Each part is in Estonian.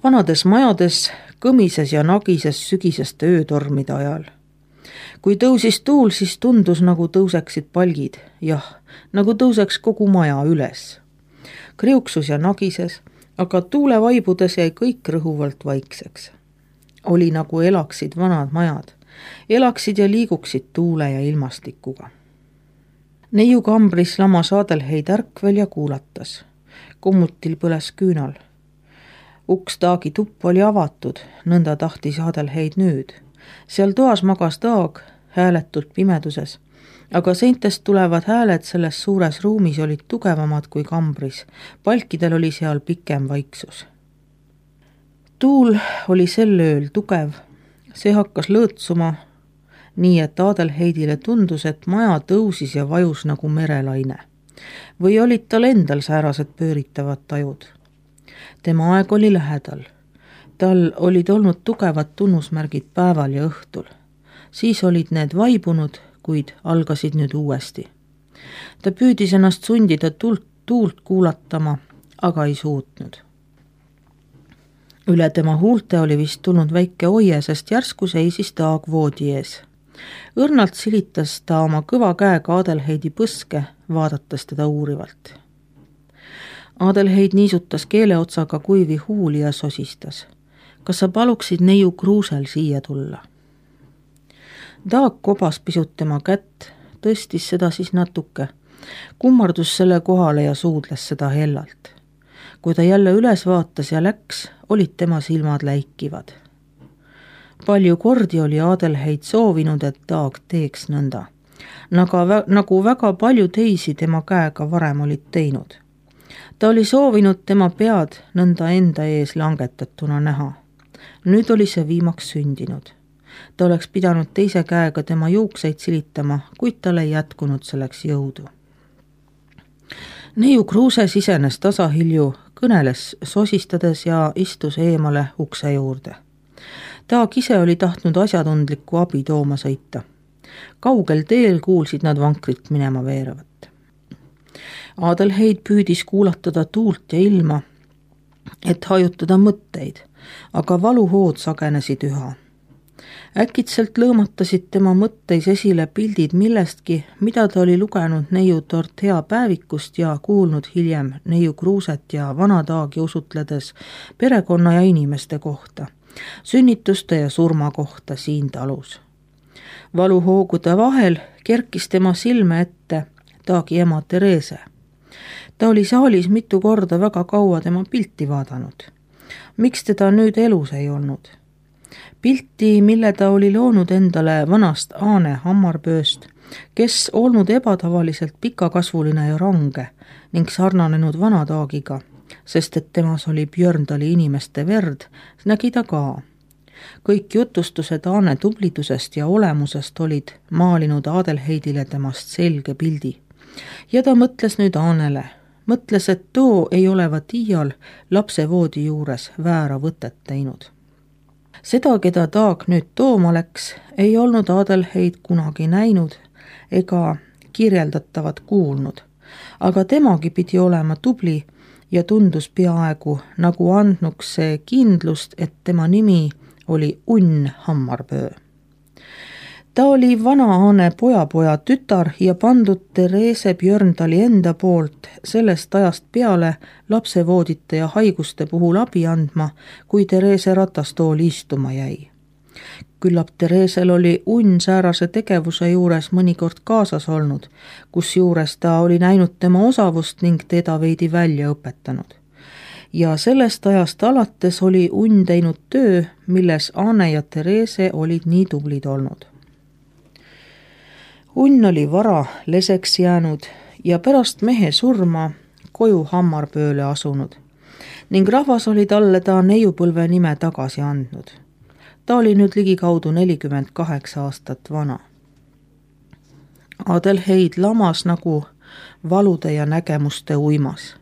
Vanades majades kõmises ja nagises sügiseste öötormide ajal. Kui tõusis tuul, siis tundus, nagu tõuseksid palgid, jah, nagu tõuseks kogu maja üles. Kriuksus ja nagises, aga tuule vaibudes jäi kõik rõhuvalt vaikseks. Oli nagu elaksid vanad majad, elaksid ja liiguksid tuule ja ilmastikuga. Neiu kambris lamas Adelheid ärkvel ja kuulatas. Kommutil põles küünal. Uks Taagi tuppa oli avatud, nõnda tahtis Adelheid nüüd. Seal toas magas Taag, hääletult pimeduses, aga seintest tulevad hääled selles suures ruumis olid tugevamad kui kambris. Palkidel oli seal pikem vaiksus. Tuul oli sel ööl tugev, see hakkas lõõtsuma, nii et Adelheidile tundus, et maja tõusis ja vajus nagu merelaine. Või olid tal endal säärased pööritavad tajud. Tema aeg oli lähedal. Tal olid olnud tugevad tunnusmärgid päeval ja õhtul. Siis olid need vaibunud, kuid algasid nüüd uuesti. Ta püüdis ennast sundida tuult kuulatama, aga ei suutnud. Üle tema huulte oli vist tulnud väike oie, sest järsku seisis Taag voodi ees. Õrnalt silitas ta oma kõva käega Adelheidi põske, vaadates teda uurivalt. Adelheid niisutas keeleotsaga kuivi huuli ja sosistas. Kas sa paluksid neiu Kruusel siia tulla? Taag kobas pisut tema kätt, tõstis seda siis natuke, kummardus selle kohale ja suudles seda hellalt. Kui ta jälle üles vaatas ja läks, olid tema silmad läikivad. Palju kordi oli Adelheid soovinud, et Taag teeks nõnda, nagu väga palju teisi tema käega varem olid teinud. Ta oli soovinud tema pead nõnda enda ees langetatuna näha. Nüüd oli see viimaks sündinud. Ta oleks pidanud teise käega tema juukseid silitama, kuid tal ei jätkunud selleks jõudu. Neiu Kruuse sisenes tasahilju, kõneles sosistades ja istus eemale ukse juurde. Taag ise oli tahtnud asjatundlikku abi tooma sõita. Kaugel teel kuulsid nad vankrit minema veeravat. Adelheid püüdis kuulatada tuult ja ilma, et hajutada mõtteid, aga valuhood sagenesid üha. Äkitselt lõõmatasid tema mõtteis esile pildid millestki, mida ta oli lugenud neiu Dorothea päevikust ja kuulnud hiljem neiu Kruuset ja vana Taagi usutledes perekonna ja inimeste kohta, sünnituste ja surma kohta siin talus. Valuhoogude vahel kerkis tema silme ette Taagi ema Therese. Ta oli saalis mitu korda väga kaua tema pilti vaadanud. Miks teda nüüd elus ei olnud? Pilti, mille ta oli loonud endale vanast Aane hammarbööst, kes olnud ebatavaliselt pikakasvuline ja range ning sarnanenud vana Taagiga, sest et temas oli Björndali inimeste verd, nägi ta ka. Kõik jutustused Aane tublidusest ja olemusest olid maalinud Adelheidile temast selge pildi. Ja ta mõtles nüüd Aanele. Mõtles, et too ei olevat iial lapse voodi juures väära võtet teinud. Seda, keda Taag nüüd tooma läks, ei olnud Adelheid kunagi näinud ega kirjeldatavat kuulnud, aga temagi pidi olema tubli ja tundus peaaegu nagu andnuks see kindlust, et tema nimi oli Unn Hammarböö. Ta oli vana Aane pojapoja tütar ja pandud Therese Björndali enda poolt sellest ajast peale lapsevoodite ja haiguste puhul abi andma, kui Therese ratastooli istuma jäi. Küllap Theresel oli Unn säärase tegevuse juures mõnikord kaasas olnud, kus juures ta oli näinud tema osavust ning teda veidi välja õpetanud. Ja sellest ajast alates oli Unn teinud töö, milles Aane ja Therese olid nii tublid olnud. Unn oli vara leseks jäänud ja pärast mehe surma koju Hammarbööle asunud ning rahvas oli talle ta neiupõlve nime tagasi andnud. Ta oli nüüd ligikaudu 48 aastat vana. Adelheid lamas nagu valude ja nägemuste uimas.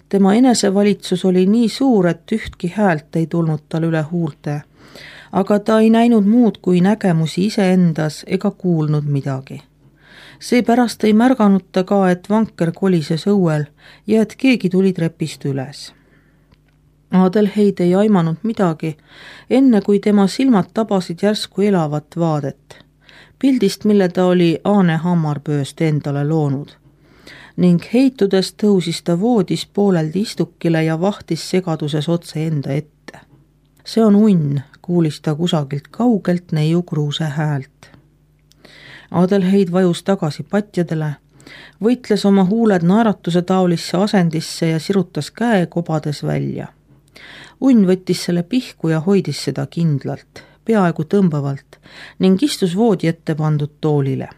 Tema enesevalitsus oli nii suur, et ühtki häält ei tulnud tal üle huulte, aga ta ei näinud muud kui nägemusi iseendas ega kuulnud midagi. Seepärast ei märganud ta ka, et vanker kolises õuel ja et keegi tuli trepist üles. Adelheid ei aimanud midagi, enne kui tema silmad tabasid järsku elavat vaadet, pildist, mille ta oli Aane Hammarpööst endale loonud. Ning heitudes tõusis ta voodis pooleldi istukile ja vahtis segaduses otse enda ette. See on unn, kuulis ta kusagilt kaugelt neiu Kruuse häält. Adelheid vajus tagasi patjadele, võitles oma huuled naeratuse taolisse asendisse ja sirutas käe kobades välja. Unn võttis selle pihku ja hoidis seda kindlalt, peaaegu tõmbavalt ning istus voodi ette pandud toolile.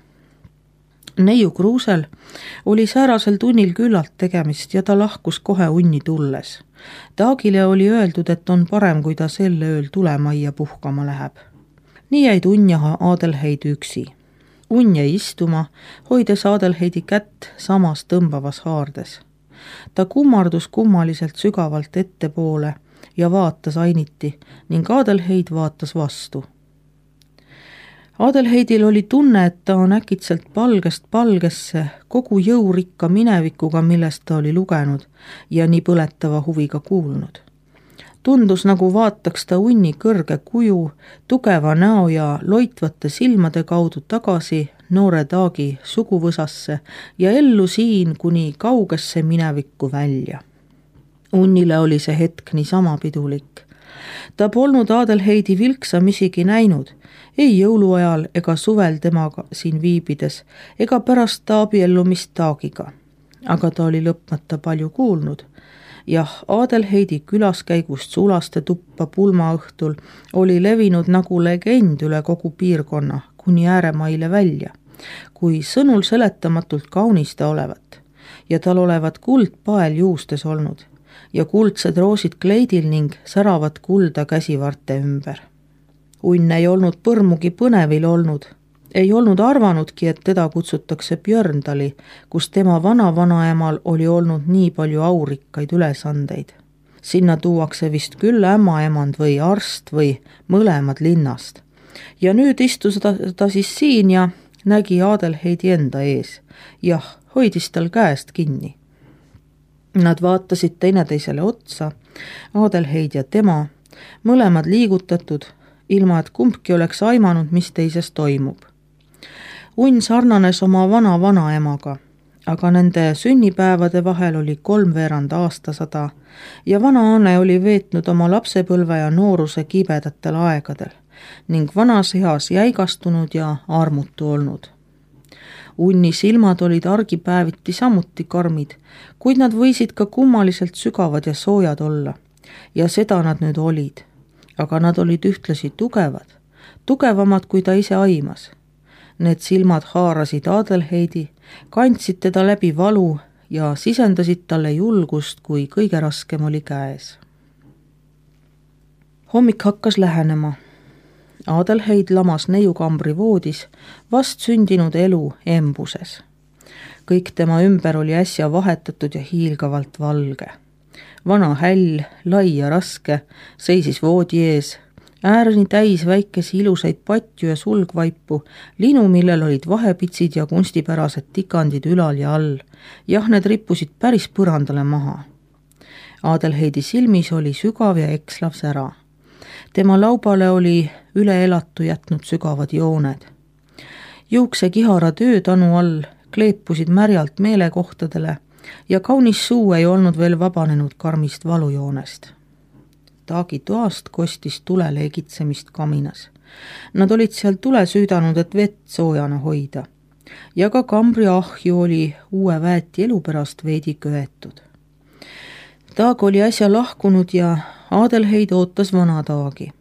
Neiu Kruusel oli säärasel tunnil küllalt tegemist ja ta lahkus kohe unni tulles. Taagile oli öeldud, et on parem, kui ta sel ööl tulemajja puhkama läheb. Nii jäid unn ja Adelheid üksi. Unn jäi istuma, hoides Adelheidi kätt samas tõmbavas haardes. Ta kummardus kummaliselt sügavalt ettepoole ja vaatas ainiti ning Adelheid vaatas vastu. Adelheidil oli tunne, et ta on äkitselt palgest palgesse kogu jõurikka minevikuga, millest ta oli lugenud ja nii põletava huviga kuulnud. Tundus, nagu vaataks ta unni kõrge kuju, tugeva näo ja loitvate silmade kaudu tagasi noore Taagi suguvõsasse ja ellu siin kuni kaugesse minevikku välja. Unnile oli see hetk niisama pidulik. Ta polnud Adelheidi vilksamisi näinud, ei jõuluajal ega suvel temaga siin viibides, ega pärast ta abiellumist Taagiga. Aga ta oli lõpmata palju kuulnud. Jah, Adelheidi külaskäigust Sulaste tuppa pulmaõhtul oli levinud nagu legend üle kogu piirkonna, kuni ääremaile välja, kui sõnul seletamatult kaunis ta olevat ja tal olevat kuldpael juustes olnud ja kuldsed roosid kleidil ning säravat kulda käsivarte ümber. Unn ei olnud põrmugi põnevil olnud, ei olnud arvanudki, et teda kutsutakse Björndali, kus tema vana-vanaemal oli olnud nii palju aurikkaid ülesandeid. Sinna tuuakse vist küll ämmaemand või arst või mõlemad linnast. Ja nüüd istus ta siis siin ja nägi Adelheidi enda ees. Jah, hoidis tal käest kinni. Nad vaatasid teineteisele otsa, Adelheid ja tema, mõlemad liigutatud, ilma et kumbki oleks aimanud, mis teises toimub. Unn sarnanes oma vana-vanaemaga, aga nende sünnipäevade vahel oli 3/4 aastasada ja vana Aane oli veetnud oma lapsepõlve ja nooruse kibedatel aegadel ning vanas eas jäigastunud ja armutu olnud. Unni silmad olid argipäeviti samuti karmid, kuid nad võisid ka kummaliselt sügavad ja soojad olla ja seda nad nüüd olid. Aga nad olid ühtlasi tugevad, tugevamad kui ta ise aimas. Need silmad haarasid Adelheidi, kandsid teda läbi valu ja sisendasid talle julgust, kui kõige raskem oli käes. Hommik hakkas lähenema. Adelheid lamas neiukambri voodis, vast sündinud elu embuses. Kõik tema ümber oli äsja vahetatud ja hiilgavalt valge. Vana häll, lai ja raske, seisis voodi ees, äärni täis väikesi ilusaid patju ja sulgvaipu, linu, millel olid vahepitsid ja kunstipärased tikandid ülal ja all. Jah, need rippusid päris põrandale maha. Adelheidi silmis oli sügav ja ekslav sära. Tema laubale oli üle elatu jätnud sügavad jooned. Juukse kihara töötanu all kleepusid märjalt meelekohtadele ja kaunis suu ei olnud veel vabanenud karmist valujoonest. Taagi toast kostis tule leegitsemist kaminas. Nad olid seal tule süüdanud, et vett soojana hoida. Ja ka kambri ahju oli uue väeti elu pärast veidi köetud. Taag oli äsja lahkunud ja Adelheid ootas vana Taagi.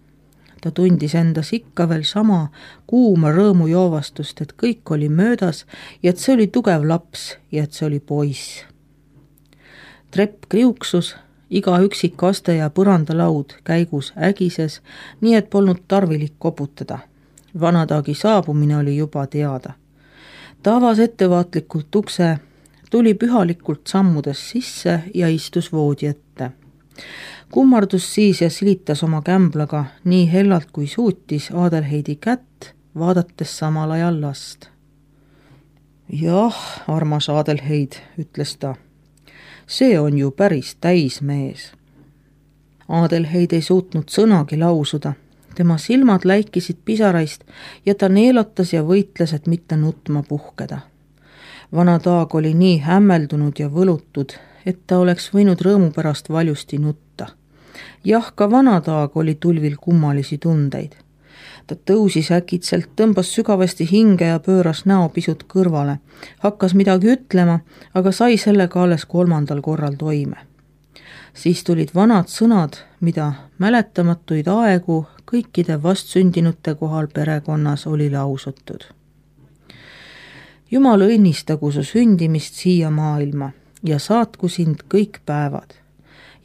Ta tundis endas ikka veel sama kuuma rõõmu joovastust, et kõik oli möödas ja et see oli tugev laps ja et see oli poiss. Trepp kriuksus, iga üksik aste ja põrandalaud käigus ägises, nii et polnud tarvilik koputada. Vana Taagi saabumine oli juba teada. Ta avas ettevaatlikult ukse, tuli pühalikult sammudes sisse ja istus voodi ette. Kummardus siis ja silitas oma kämblaga nii hellalt kui suutis Adelheidi kätt, vaadates samal ajal last. Jah, armas Adelheid, ütles ta. See on ju päris täismees. Adelheid ei suutnud sõnagi lausuda. Tema silmad läikisid pisaraist ja ta neelatas ja võitles, et mitte nutma puhkeda. Vana Taag oli nii hämmeldunud ja võlutud, et ta oleks võinud rõõmu pärast valjusti nutta. Jah, ka Vana Taag oli tulvil kummalisi tundeid. Ta tõusis äkitselt, tõmbas sügavasti hinge ja pööras näo pisut kõrvale. Hakkas midagi ütlema, aga sai sellega alles 3. korral toime. Siis tulid vanad sõnad, mida mäletamatuid aegu kõikide vastsündinute kohal perekonnas oli lausutud. Jumal õnnistagu su sündimist siia maailma ja saatku sind kõik päevad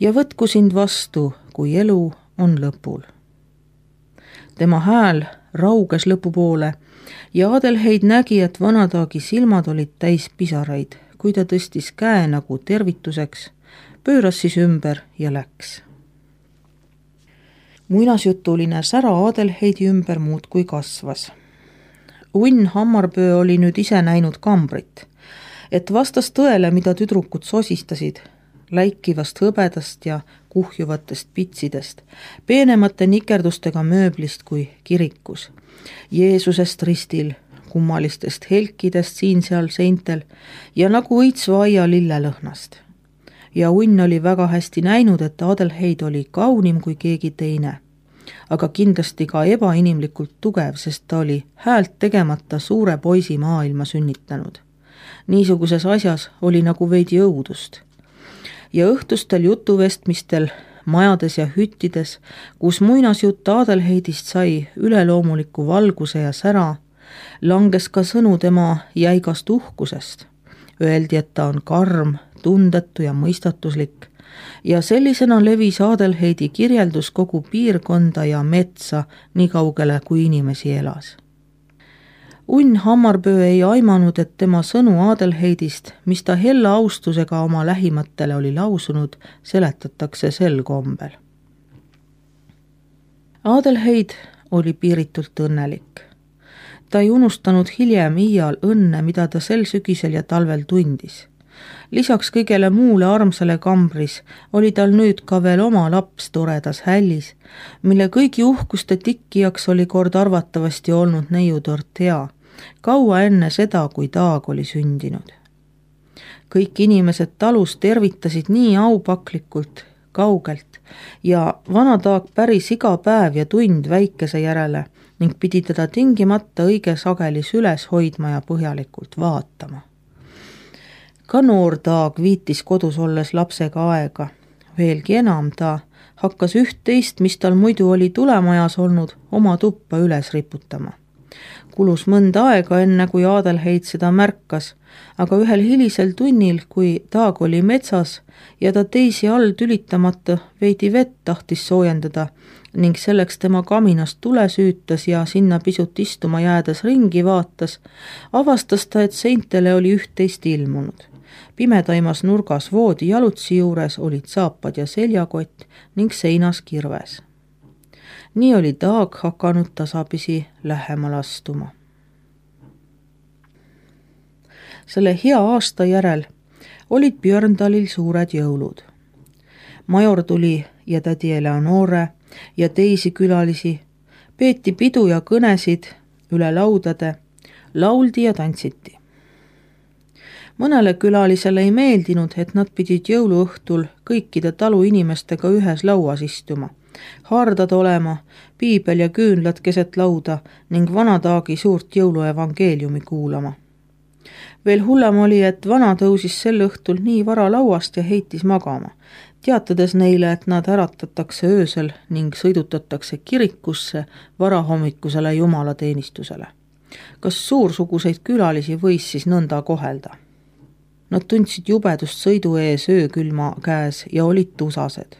ja võtku sind vastu, kui elu on lõpul. Tema hääl rauges lõpupoole ja Adelheid nägi, et Vana Taagi silmad olid täis pisaraid, kui ta tõstis käe nagu tervituseks, pööras siis ümber ja läks. Muinasjutuline sära Adelheidi ümber muudkui kasvas. Unn Hammarpöö oli nüüd ise näinud kambrit, et vastas tõele, mida tüdrukud sosistasid, läikivast hõbedast ja kuhjuvatest pitsidest, peenemate nikerdustega mööblist kui kirikus, Jeesusest ristil, kummalistest helkidest siin-seal seintel ja nagu õitsva aia lillelõhnast. Ja Unn oli väga hästi näinud, et Adelheid oli kaunim kui keegi teine, aga kindlasti ka ebainimlikult tugev, sest ta oli häält tegemata suure poisi maailma sünnitanud. Niisuguses asjas oli nagu veidi õudust. Ja õhtustel jutuvestmistel, majades ja hüttides, kus muinasjutt Adelheidist sai üleloomuliku valguse ja sära, langes ka sõnu tema jäigast uhkusest. Öeldi, et ta on karm, tundetu ja mõistatuslik ja sellisena levis Adelheidi kirjeldus kogu piirkonda ja metsa nii kaugele, kui inimesi elas. Unn Hammarpöö ei aimanud, et tema sõnu Adelheidist, mis ta hella austusega oma lähimatele oli lausunud, seletatakse sel kombel. Adelheid oli piiritult õnnelik. Ta ei unustanud hiljem iial õnne, mida ta sel sügisel ja talvel tundis. Lisaks kõigele muule armsale kambris oli tal nüüd ka veel oma laps toredas hällis, mille kõigi uhkuste tikkijaks oli kord arvatavasti olnud neiu Dorothea, kaua enne seda, kui Taag oli sündinud. Kõik inimesed talus tervitasid nii aupaklikult, kaugelt ja Vana Taag päris iga päev ja tund väikese järele ning pidi teda tingimata õige sageli süles hoidma ja põhjalikult vaatama. Ka noor Taag viitis kodus olles lapsega aega. Veelgi enam ta hakkas üht-teist, mis tal muidu oli tulemajas olnud, oma tuppa üles riputama. Kulus mõnda aega enne, kui Adelheid seda märkas, aga ühel hilisel tunnil, kui Taag oli metsas ja ta teisi all tülitamata veidi vett tahtis soojendada ning selleks tema kaminast tule süütas ja sinna pisut istuma jäädes ringi vaatas, avastas ta, et seintele oli üht-teist ilmunud. Pimedaimas nurgas voodi jalutsi juures olid saapad ja seljakott ning seinas kirves. Nii oli Taag hakanud tasapisi lähemal astuma. Selle hea aasta järel olid Björndalil suured jõulud. Major tuli ja tädi Eleonore ja teisi külalisi, peeti pidu ja kõnesid üle laudade, lauldi ja tantsiti. Mõnele külalisele ei meeldinud, et nad pidid jõuluõhtul kõikide talu inimestega ühes lauas istuma, hardad olema, piibel ja küünlad keset lauda ning Vana Taagi suurt jõuluevangeeliumi kuulama. Veel hullem oli, et Vana tõusis sel õhtul nii vara lauast ja heitis magama, teatades neile, et nad äratatakse öösel ning sõidutatakse kirikusse varahommikusele jumalateenistusele. Kas suursuguseid külalisi võis siis nõnda kohelda? Nad tundsid jubedust sõidu ees öökülma käes ja olid tusased.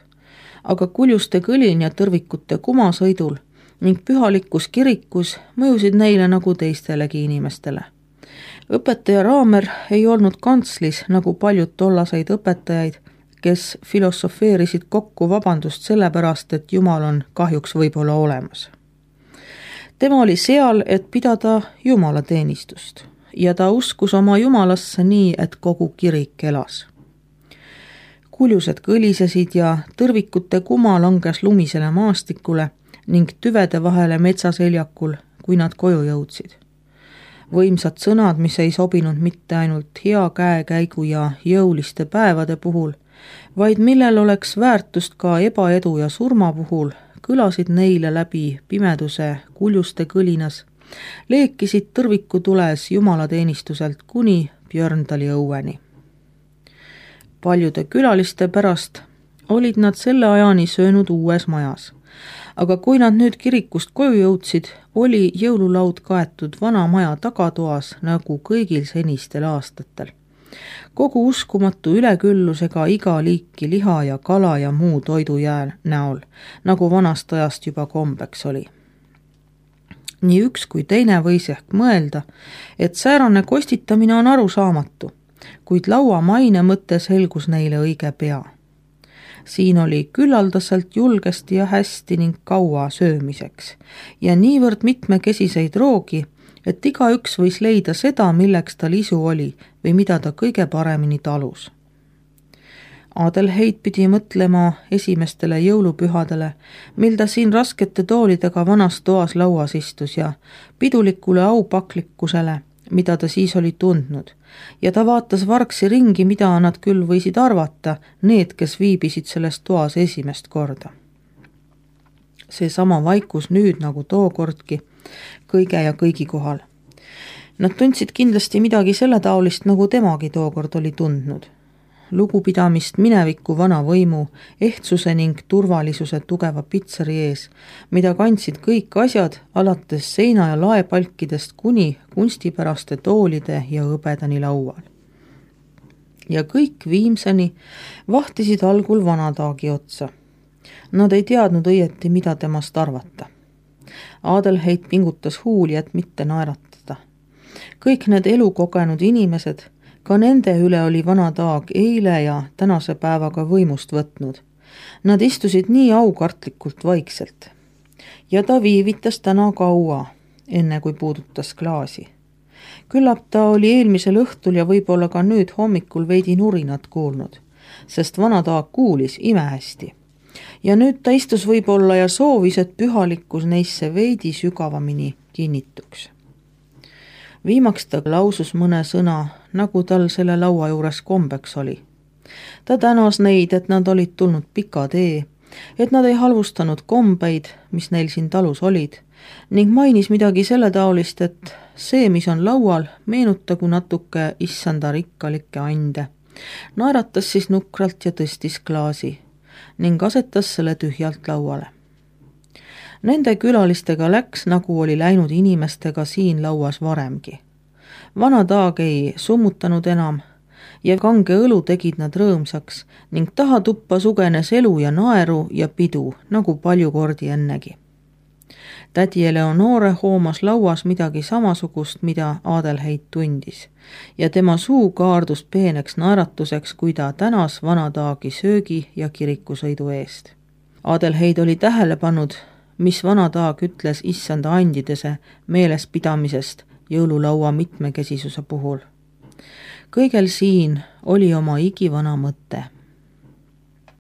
Aga kuljuste kõlin ja tõrvikute kumasõidul ning pühalikus kirikus mõjusid neile nagu teistelegi inimestele. Õpetaja Raamer ei olnud kantslis nagu paljud tollaseid õpetajaid, kes filosofeerisid kokku vabandust sellepärast, et Jumal on kahjuks võib-olla olemas. Tema oli seal, et pidada jumalateenistust ja ta uskus oma jumalasse nii, et kogu kirik elas. Kuljused kõlisesid ja tõrvikute kuma langes lumisele maastikule ning tüvede vahele metsaseljakul, kui nad koju jõudsid. Võimsad sõnad, mis ei sobinud mitte ainult hea käekäigu ja jõuliste päevade puhul, vaid millel oleks väärtust ka ebaedu ja surma puhul, kõlasid neile läbi pimeduse kuljuste kõlinas, leekisid tõrvikutules jumalateenistuselt kuni Björndali õueni. Paljude külaliste pärast olid nad selle ajani söönud uues majas, aga kui nad nüüd kirikust koju jõudsid, oli jõululaud kaetud vana maja tagatoas nagu kõigil senistel aastatel. Kogu uskumatu üleküllusega iga liiki liha ja kala ja muu toidujää näol, nagu vanast ajast juba kombeks oli. Nii üks kui teine võis ehk mõelda, et säärane kostitamine on arusaamatu, kuid laua maine mõte selgus neile õige pea. Siin oli küllaldaselt julgesti ja hästi ning kaua söömiseks ja niivõrd mitmekesiseid roogi, et igaüks võis leida seda, milleks tal isu oli või mida ta kõige paremini talus. Adelheid pidi mõtlema esimestele jõulupühadele, mil ta siin raskete toolidega vanas toas lauas istus ja pidulikule aupaklikkusele, mida ta siis oli tundnud, ja ta vaatas vargsi ringi, mida nad küll võisid arvata, need, kes viibisid selles toas esimest korda. See sama vaikus nüüd nagu tookordki, kõige ja kõigi kohal. Nad tundsid kindlasti midagi selle taolist, nagu temagi tookord oli tundnud. Lugupidamist mineviku vana võimu, ehtsuse ning turvalisuse tugeva pitseri ees, mida kandsid kõik asjad, alates seina- ja laepalkidest kuni kunstipäraste toolide ja hõbedani laual. Ja kõik viimseni vahtisid algul vanataagi otsa. Nad ei teadnud õieti, mida temast arvata. Adelheid pingutas huuli, et mitte naeratada. Kõik need elukogenud inimesed, ka nende üle oli vanataag eile ja tänase päevaga võimust võtnud. Nad istusid nii aukartlikult vaikselt. Ja ta viivitas täna kaua, enne kui puudutas klaasi. Küllap ta oli eelmisel õhtul ja võib-olla ka nüüd hommikul veidi nurinat kuulnud, sest vanataag kuulis imehästi. Ja nüüd ta istus võib-olla ja soovis, et pühalikkus neisse veidi sügavamini kinnituks. Viimaks ta lausus mõne sõna, nagu tal selle laua juures kombeks oli. Ta tänas neid, et nad olid tulnud pika tee, et nad ei halvustanud kombeid, mis neil siin talus olid, ning mainis midagi selle taolist, et see, mis on laual, meenutagu natuke issanda rikkalikke ande. Naeratas siis nukralt ja tõstis klaasi ning asetas selle tühjalt lauale. Nende külalistega läks, nagu oli läinud inimestega siin lauas varemgi. Vanataag ei summutanud enam ja kange õlu tegid nad rõõmsaks ning tahatuppa sugenes elu ja naeru ja pidu, nagu palju kordi ennegi. Tädi Eleonore hoomas lauas midagi samasugust, mida Adelheid tundis, ja tema suu kaardus peeneks naeratuseks, kui ta tänas vanataagi söögi ja kirikusõidu eest. Adelheid oli tähele pannud, mis vanataag ütles issanda andidese meelespidamisest jõululaua mitmekesisuse puhul. Kõigel siin oli oma igivana mõte.